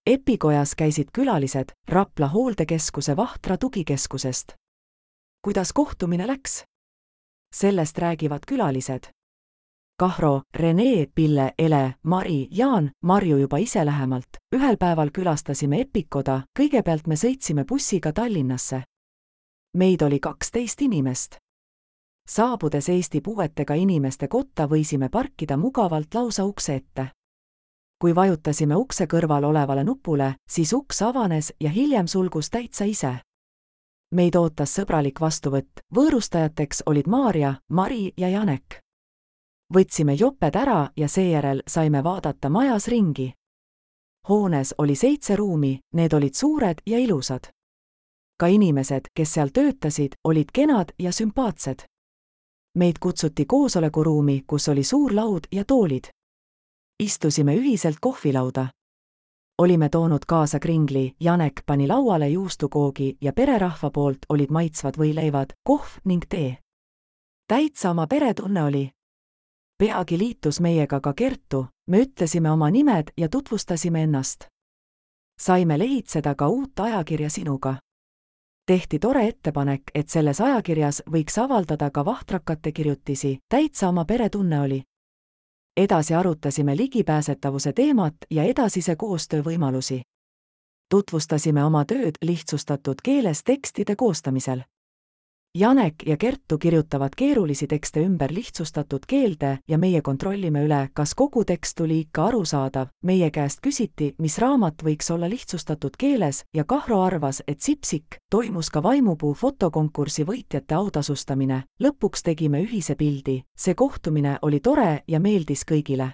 EPI-kojas käisid külalised Rapla hooldekeskuse Vahtra tugikeskusest. Kuidas kohtumine läks? Sellest räägivad külalised. Kahro, Rene, Pille, Ele, Mari, Jaan, Marju juba ise lähemalt. Ühel päeval külastasime EPI-koda, kõigepealt me sõitsime bussiga Tallinnasse. Meid oli 12 inimest. Saabudes Eesti puuetega inimeste kotta võisime parkida mugavalt lausa ukse ette. Kui vajutasime ukse kõrval olevale nupule, siis uks avanes ja hiljem sulgus täitsa ise. Meid ootas sõbralik vastuvõtt, võõrustajateks olid Maarja, Mari ja Janek. Võtsime joped ära ja seejärel saime vaadata majas ringi. Hoones oli 7 ruumi, need olid suured ja ilusad. Ka inimesed, kes seal töötasid, olid kenad ja sümpaatsed. Meid kutsuti koosolekuruumi, kus oli suur laud ja toolid. Istusime ühiselt kohvilauda. Olime toonud kaasa kringli, Janek pani lauale juustukoogi ja pererahva poolt olid maitsvad võileivad, kohv ning tee. Täitsa oma peretunne oli. Peagi liitus meiega ka Kertu, me ütlesime oma nimed ja tutvustasime ennast. Saime lehitseda ka uut ajakirja Sinuga. Tehti tore ettepanek, et selles ajakirjas võiks avaldada ka vahtrakate kirjutisi, täitsa oma peretunne oli. Edasi arutasime ligipääsetavuse teemat ja edasise koostöö võimalusi. Tutvustasime oma tööd lihtsustatud keeles tekstide koostamisel. Janek ja Kertu kirjutavad keerulisi tekste ümber lihtsustatud keelde ja meie kontrollime üle, kas kogu tekst tuli ikka arusaadav. Meie käest küsiti, mis raamat võiks olla lihtsustatud keeles ja Kahro arvas, et Sipsik. Toimus ka vaimupuu fotokonkursi võitjate autasustamine. Lõpuks tegime ühise pildi. See kohtumine oli tore ja meeldis kõigile.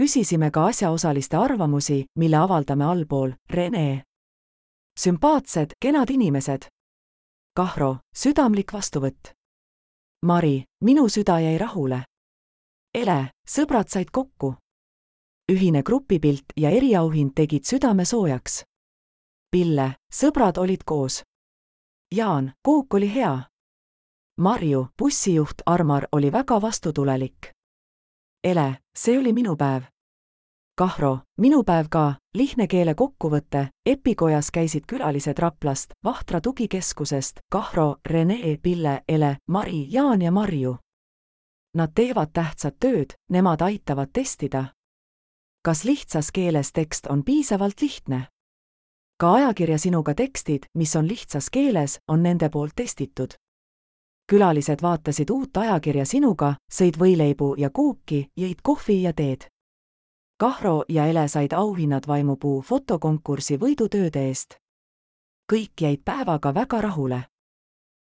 Küsisime ka asjaosaliste arvamusi, mille avaldame allpool. Rene. Sümpaatsed, kenad inimesed. Kahro, südamlik vastuvõtt. Mari, minu süda jäi rahule. Ele, sõbrad said kokku. Ühine grupipilt ja eriauhind tegid südame soojaks. Pille, sõbrad olid koos. Jaan, kook oli hea. Marju, bussijuht Armar oli väga vastutulelik. Ele, see oli minu päev. Kahro, minu päev ka, lihtne keele kokkuvõte. EPI-kojas käisid külalised Raplast, Vahtra tugikeskusest, Kahro, Rene, Pille, Ele, Mari, Jaan ja Marju. Nad teevad tähtsat tööd, nemad aitavad testida. Kas lihtsas keeles tekst on piisavalt lihtne? Ka ajakirja Sinuga tekstid, mis on lihtsas keeles, on nende poolt testitud. Külalised vaatasid uut ajakirja Sinuga, sõid võileibu ja kooki, jõid kohvi ja teed. Kahro ja Ele said auhinnad vaimupuu fotokonkursi võidutööde eest. Kõik jäid päevaga väga rahule.